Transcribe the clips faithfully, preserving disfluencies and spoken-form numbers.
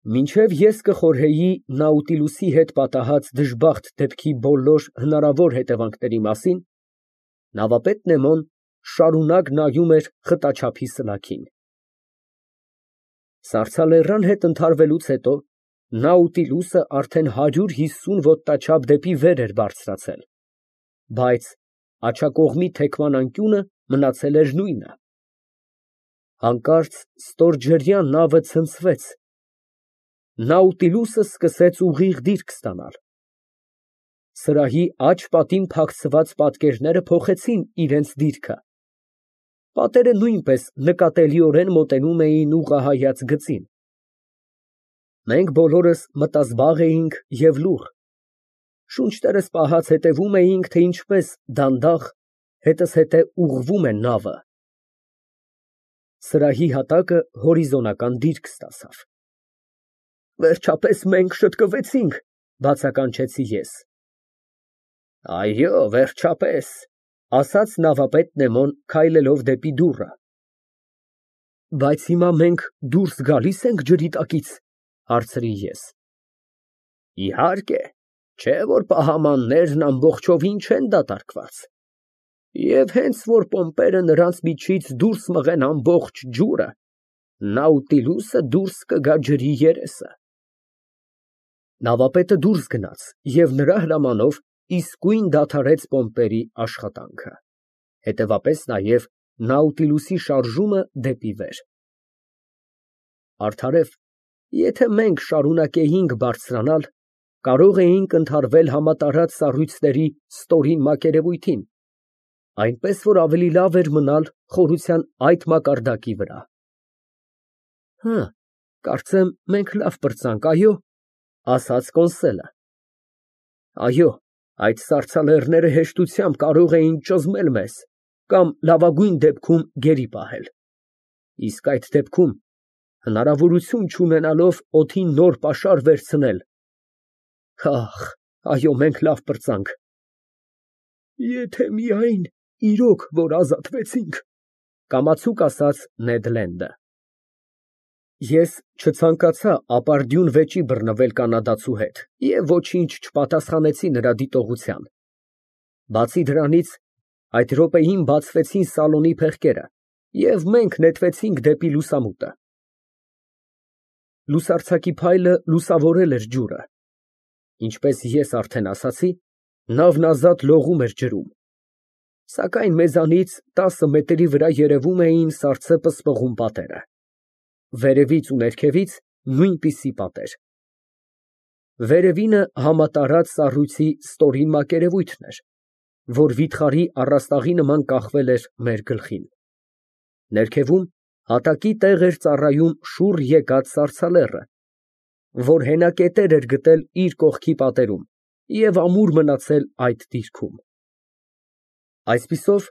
Մինչև ես կխորհեի Նաուտիլուսի հետ պատահած դժբախտ դեպքի բոլոր հնարավոր հետևանքների մասին, նավապետ Նեմոն շարունակ նայում էր խտաչափի սլաքին։ Սառցալեռան հետ ընդհարվելուց հետո Նաուտիլուսը արդեն հարյուր հիսուն ոտնաչափ դեպի վեր էր բարձրացել, բայց աջակողմի թեքման անկյունը մնացել էր նույնը։ Հանկարծ ստորջրյա նավը ցնցվեց, Նաուտիլուսը սկսեց ուղիղ դիրք ստանալ։ Սրահի աջ պատին փակցված պատկերները փոխեցին իրենց դիրքը, պատերը նույնպես նկատելիորեն մոտենում էին ուղղահայաց գծին։ Մենք բոլորս մտազբաղ էինք և լուռ, շունչներս պահած հետևում էինք, թե ինչպես դանդաղ, հետզհետե ուղղվում է նավը։ Սրահի հատակը հորիզոնական դիրք ստացավ։ Վերջապես մենք շտկվեցինք, բացականչեցի ես։ Այո, վերջապես, ասաց նավապետ Նեմոն, քայլելով դեպի դուռը։ Բայց հիմա մենք դուրս գալի՞ս ենք ջրի տակից, հարցրի ես։ Իհարկե, չէ՞ որ պահամաններն ամբողջովին չեն դատարկված, և հենց որ պոմպերը նրանց միջից դուրս մղեն ամբողջ ջուրը, Նաուտիլուսը դուրս կգա ջրի երեսը։ Նավապետը դուրս գնաց և նրա հրամանով իսկույն դադարեց պոմպերի աշխատանքը, հետևապես նաև Նաուտիլուսի շարժումը դեպի վեր։ Արդարև, եթե մենք շարունակեինք բարձրանալ, կարող էինք ընդհարվել համատարած սառույցների ստորին մակերևույթին, այնպես որ ավելի լավ էր մնալ խորության այդ մակարդակի վրա։ Հը, կարծեմ մենք լավ պրծանք, այո, ասաց Կոնսելը։ Այո, այդ սառցալեռները հեշտությամբ կարող էին ճզմել մեզ կամ լավագույն դեպքում գերի պահել, իսկ այդ դեպքում, հնարավորություն չունենալով օդին նոր պաշար վերցնել, ահ, այո, մենք լավ պրծանք։ Եթե միայն իրոք որ ազատվեցինք, կամացուկ ասաց Նեդ Լենդը։ Ես չցանկացա ապարդյուն վեճի բռնվել կանադացու հետ և ոչինչ չպատասխանեցի նրա դիտողության։ Բացի դրանից, այդ րոպեին բացվեցին սալոնի փեղկերը, և մենք նետվեցինք դեպի լուսամուտը։ Լուսարձակի փայլը լուսավորել էր ջուրը։ Ինչպես ես արդեն ասացի, նավն ազատ լողում էր ջրում, սակայն մեզանից տասը մետրի վրա երևում էին սառցե պսպղուն պատերը, վերևից ու ներքևից նույնպիսի պատեր։ Վերևինը համատարած սառույցի ստորին մակերևույթն էր, որ վիթխարի առաստաղի նման կախվել էր մեր գլխին։ Ներքևում հատակի տեղ էր ծառայում շուռ եկած սառցալեռը, որ հենակետեր էր գտել իր կողքի պատերում և ամուր մնացել այդ դիրքում։ Այսպիսով,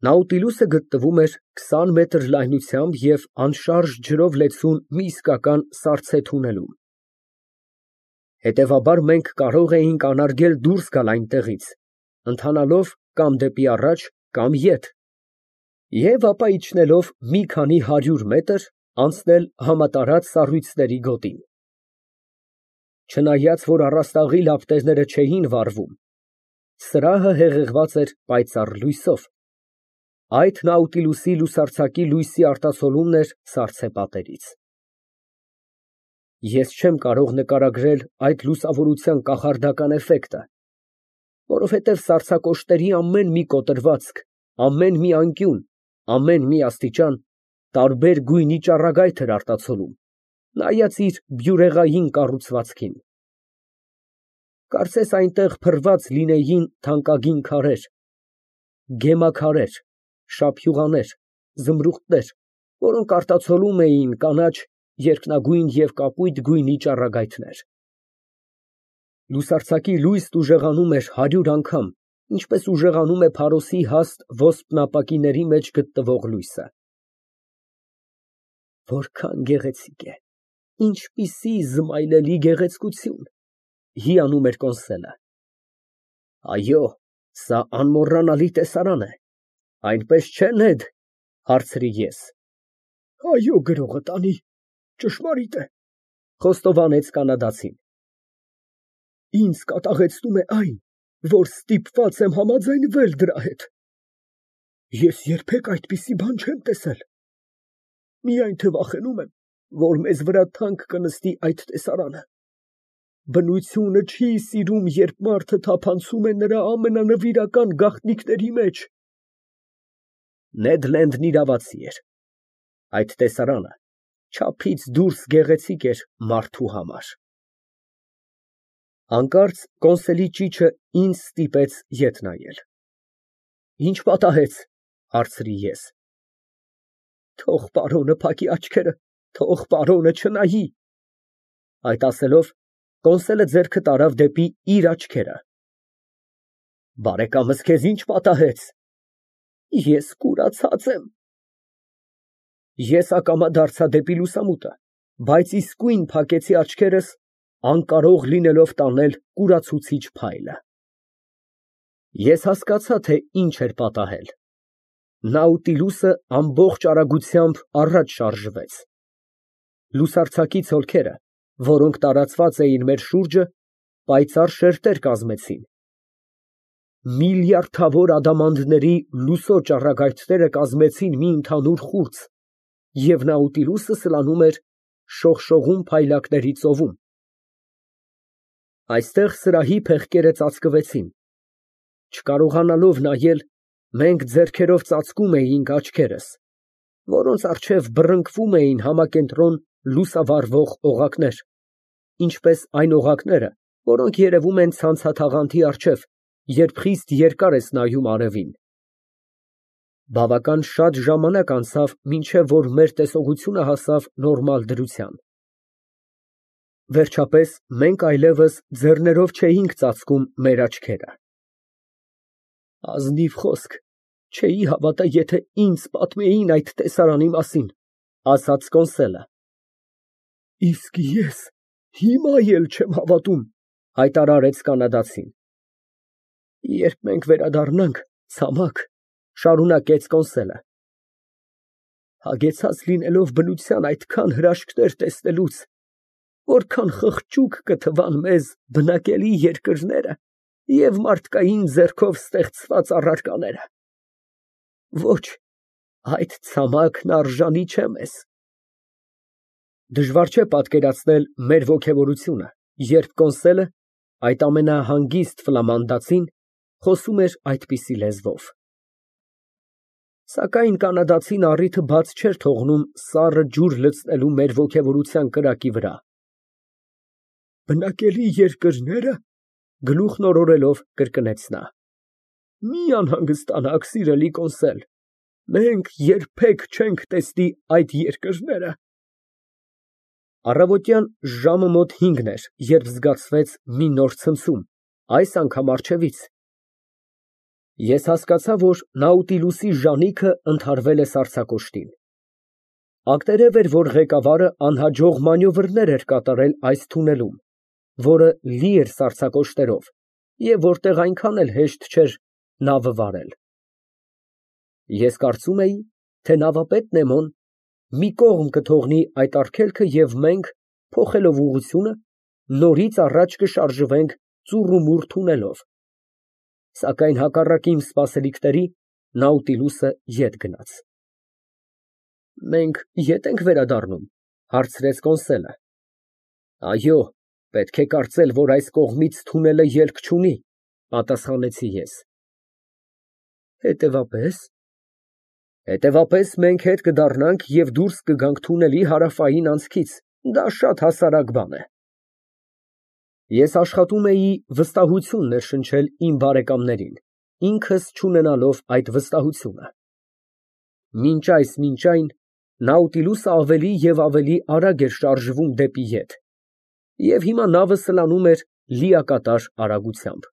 Նաուտիլուսը գտնվում էր քսան մետր լայնությամբ և անշարժ ջրով լեցուն մի իսկական սառցե թունելում։ Հետևաբար մենք կարող էինք անարգել դուրս գալ այնտեղից, ընթանալով կամ դեպի առաջ, կամ ետ, և ապա իջնելով մի քանի հարյուր մետր, անցնել համատարած սառույցների գոտին։ Չնայած որ առաստաղի լապտերները չէին վառվում, սրահը հեղեղված էր պայծառ լույսով, այդ Նաուտիլուսի լուսարձակի լույսի արտացոլումն էր սառցե պատերից։ Ես չեմ կարող նկարագրել այդ լուսավորության կախարդական էֆեկտը, որովհետև սառցակոշտերի ամեն մի կոտրվածք, ամեն մի անկյուն, ամեն մի աստիճան տարբեր գույնի ճառագայթ էր արտացոլում, նայած իր բյուրեղային կառուցվածքին։ Կարծես այնտեղ փռված լինեին թանկագին քարեր, գեմաքարեր, շափյուղաներ, զմրուղտներ, որոնք արտացոլում էին կանաչ, երկնագույն և կապույտ գույնի ճառագայթներ։ Լուսարձակի լույսն ուժեղանում էր հարյուր անգամ, ինչպես ուժեղանում է փարոսի հաստ ոսպնապակիների մեջ գտնվող լույսը։ Որքան գեղեցիկ է, ինչպիսի զմայլելի գեղեցկություն, հիանում էր Կոնսելը։ Այո, սա անմոռանալի տեսարան է, այնպես չէ՞, Նեդ, հարցրի ես։ Այո, գրողը տանի, ճշմարիտ է։ Խոստովանեց կանադացին։ Ինձ կատաղեցնում է այն, որ ստիպված եմ համաձայնվել դրա հետ։ Ես երբեք այդպիսի բան չեմ տեսել։ Միայն թե վախենում եմ, որ մեզ վրա թանկ կնստի այդ տեսարանը։ Բնությունը չի սիրում, երբ մարդը թափանցում է նրա ամենանվիրական գաղտնիքների մեջ։ Նեդ Լենդն իրավացի էր։ Այդ տեսարանը չափից դուրս գեղեցիկ էր մարդու համար։ Հանկարծ կոնսոլի ճիչը ինձ ստիպեց ետ նայել։ Ինչ պատահեց, հարցրի ես։ Թող պարոնը փակի աչքերը, թող պարոնը չնայի։ Այդ ասելով, կոնսոլը ձեռքը տարավ դեպի իր աչքերը։ Բարեկամս, քեզ ինչ պատահեց։ Ես կուրացած եմ։ Ես ակամա դարձա դեպի լուսամուտը, բայց իսկույն փակեցի աչքերս, անկարող լինելով տանել կուրացուցիչ փայլը։ Ես հասկացա, թե ինչ էր պատահել։ Նաուտիլուսը ամբողջ արագությամբ առաջ շարժվեց։ Լուսարձակի ցոլքերը, որոնք տարածված էին մեր շուրջը, պայծառ շերտեր կազմեցին։ Միլիարդավոր ադամանդների լուսո ճառագայթները կազմեցին մի ընդհանուր խուրձ, և Նաուտիլուսը սլանում էր շողշողուն փայլակների ծովում։ Այստեղ սրահի փեղկերը ծածկվեցին։ Չկարողանալով նայել, մենք ձեռքերով ծածկում էինք աչքերս, որոնց առջև բռնկվում էին համակենտրոն լուսավառվող օղակներ, ինչպես այն օղակները, որոնք երևում են ցանցաթաղանթի առջև, երբ խիստ երկար ես նայում արևին։ Բավական շատ ժամանակ անցավ, մինչև որ մեր տեսողությունը հասավ նորմալ դրության։ Վերջապես մենք այլևս ձեռներով չէինք ծածկում մեր աչքերը։ Ազնիվ խոսք, չէի հավատա, եթե ինձ պատմեին այդ տեսարանի մասին, ասաց կոնսոլը։ Իսկ ես հիմա էլ չեմ հավատում, հայտարարեց կանադացին։ Երբ մենք վերադառնանք, ցամաք, շարունակեց կոնսոլը, հագեցած լինելով բնության այդքան հրաշքներ տեսնելուց, որքան խղճուկ կթվան մեզ բնակելի երկրները և մարդկային ձեռքով ստեղծված առարկաները։ Ոչ, այդ ցամաքն արժանի չէ մեզ։ Դժվար չէ պատկերացնել մեր ոգևորությունը, երբ կոնսոլը, այդ ամենահանգիստ ֆլամանդացին, խոսում էր այդպիսի լեզվով։ Սակայն կանադացին առիթը բաց չէր թողնում սառը ջուր լցնելու մեր ոգևորության կրակի վրա։ Բնակելի երկրնե՞րը, գլուխն օրորելով կրկնեց նա։ Մի անհանգստանաք, սիրելի կոնսոլ, մենք երբեք չենք տեսնի այդ երկրները։ Առավոտյան ժամը մոտ հինգն էր, երբ զգացվեց մի նոր ցնցում, այս անգամ առջևից։ Ես հասկացա, որ Նաուտիլուսի ժանիքը ընդհարվել է սառցակոշտին։ Ակտերև էր, որ ղեկավարը անհաջող մանևրներ էր կատարել այս թունելում, որը լի էր սառցակոշտերով, և որտեղ այնքան էլ հեշտ չէր նավը վարել։ Ես կարծում էի, թե նավապետ Նեմոն մի կողմ կթողնի այդ արգելքը և մենք, փոխելով ուղղությունը, նորից առաջ կշարժվենք ծուռումուռ թունելով։ Սակայն հակառակ իմ սպասելիքների, Նաուտիլուսը ետ գնաց։ Մենք ե՞տ ենք վերադառնում, հարցրեց կոնսոլը։ Այո, պետք է կարծել, որ այս կողմից թունելը ելք չունի, պատասխանեցի ես։ Հետևապես։ Հետևապես մենք հետ կդառնանք և դուրս կգանք թունելի հարավային անցքից, դա շատ հասարակ բան է։ Ես աշխատում էի վստահություն ներշնչել իմ բարեկամներին, ինքս չունենալով այդ վստահությունը։ Մինչ այս մինչ այն, Նաուտիլուսը ավելի և ավելի արագ էր շարժվում դեպի ետ, և հիմա նավը սլանում էր լիակատար արագությամբ։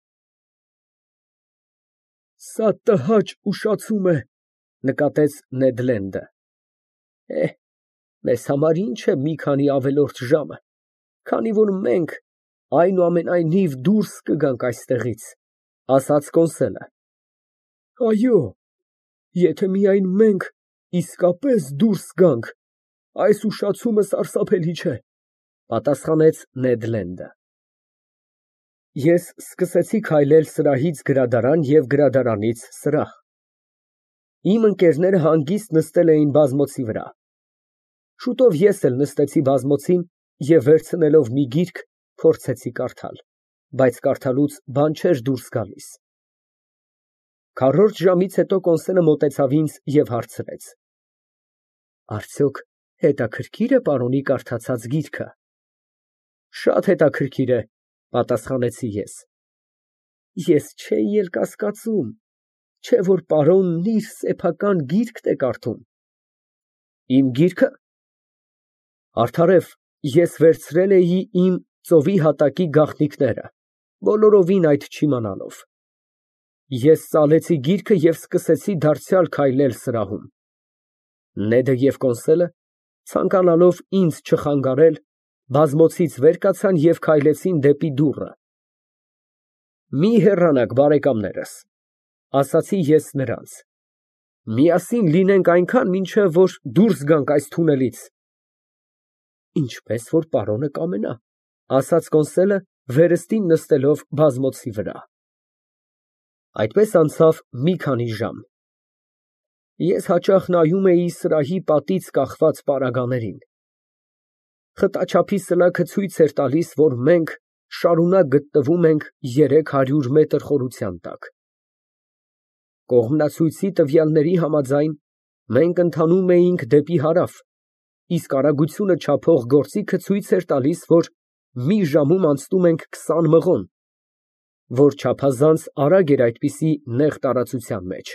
Սա տհաճ ուշացում է, նկատեց Նեդ Լենդը։ Է, մեզ համար ինչ է մի քանի ավելորդ ժամը, քանի որ մենք, այնուամենայնիվ, դուրս կգանք այստեղից, ասաց կոնսոլը։ Այո, եթե միայն մենք իսկապես դուրս գանք, այս ուշացումը սարսափելի չէ։ Պատասխանեց Նեդ Լենդը։ Ես սկսեցի քայլել սրահից գրադարան և գրադարանից սրահ։ Իմ ընկերները հանգիստ նստել էին բազմոցի վրա։ Շուտով ես էլ նստեցի բազմոցին և վերցնելով մի գիրք, փորձեցի կարդալ, բայց կարդալուց բան չէր դուրս գալիս։ Քառորդ ժամից հետո կոնսոլը մոտեցավ ինձ և հարցրեց. Արդյոք հետաքրքիր է պարոնի կարդացած գիրքը։ Շատ հետաքրքիր է, պատասխանեցի ես։ Ես չէի էլ կասկածում, չէ որ պարոնն իր սեփական գիրքն է կարդում։ Իմ գիրքը։ Արդարև, ես վերցրել էի իմ ծովի հատակի գաղտնիքները, բոլորովին այդ չիմանալով։ Ես ծալեցի գիրքը և սկսեցի դարձյալ քայլել սրահում։ Նեդը և կոնսոլը, ցանկանալով ինձ չխանգարել, բազմոցից վեր կացան և քայլեցին դեպի դուռը։ Մի հեռանաք, բարեկամներս, ասացի ես նրանց, միասին լինենք այնքան, մինչև որ դուրս գանք այս թունելից։ Ինչպես որ պարոնը կամենա, ասաց կոնսոլը, վերստին նստելով բազմոցի վրա։ Այդպես անցավ մի քանի ժամ։ Ես հաճախ նայում էի սրահի պատից կախված պարագաներին։ Խտաչափի սլաքը ցույց էր տալիս, որ մենք շարունակ գտնվում ենք երեք հարյուր մետր խորության տակ։ Կողմնացույցի տվյալների համաձայն, մենք ընթանում էինք դեպի հարավ, իսկ արագությունը չափող գործիքը ցույց էր տալիս, որ մի ժամում անցնում ենք քսան մղոն, որ չափազանց արագ էր այդպիսի նեղ տարածության մեջ։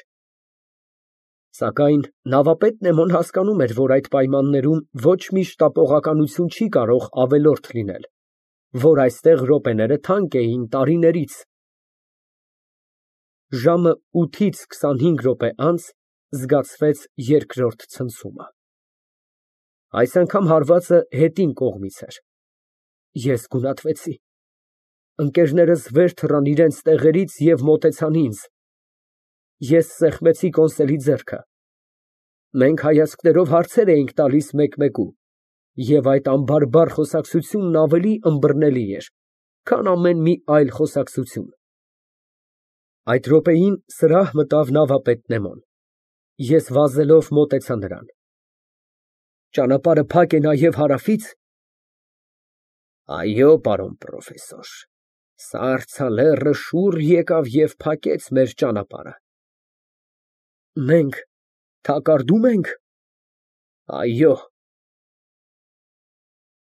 Սակայն նավապետ Նեմոն հասկանում էր, որ այդ պայմաններում ոչ մի շտապողականություն չի կարող ավելորդ լինել, որ այստեղ րոպեները թանկ էին տարիներից։ Ժամը ութից քսանհինգ րոպե անց զգացվեց երկրորդ ցնցումը։ Այս անգամ հարվածը հետին կողմից էր։ Ես գունատվեցի։ Ընկերներս վեր թռան իրենց տեղերից և մոտեցան ինձ։ Ես սեղմեցի կոնսոլի ձեռքը։ Մենք հայացքներով հարցեր էինք տալիս մեկ֊մեկու, և այդ անբարբար խոսակցությունն ավելի ըմբռնելի էր, քան ամեն մի այլ խոսակցություն։ Այդ րոպեին սրահ մտավ նավապետ Նեմոն։ Ես վազելով մոտեցա նրան։ Ճանապարհը փակ է նաև հարավի՞ց։ Այո, պարոն պրոֆեսոր, սառցալեռը շուռ եկավ և փակեց մեր ճանապարհը։ Մենք թակարդո՞ւմ ենք։ Այո։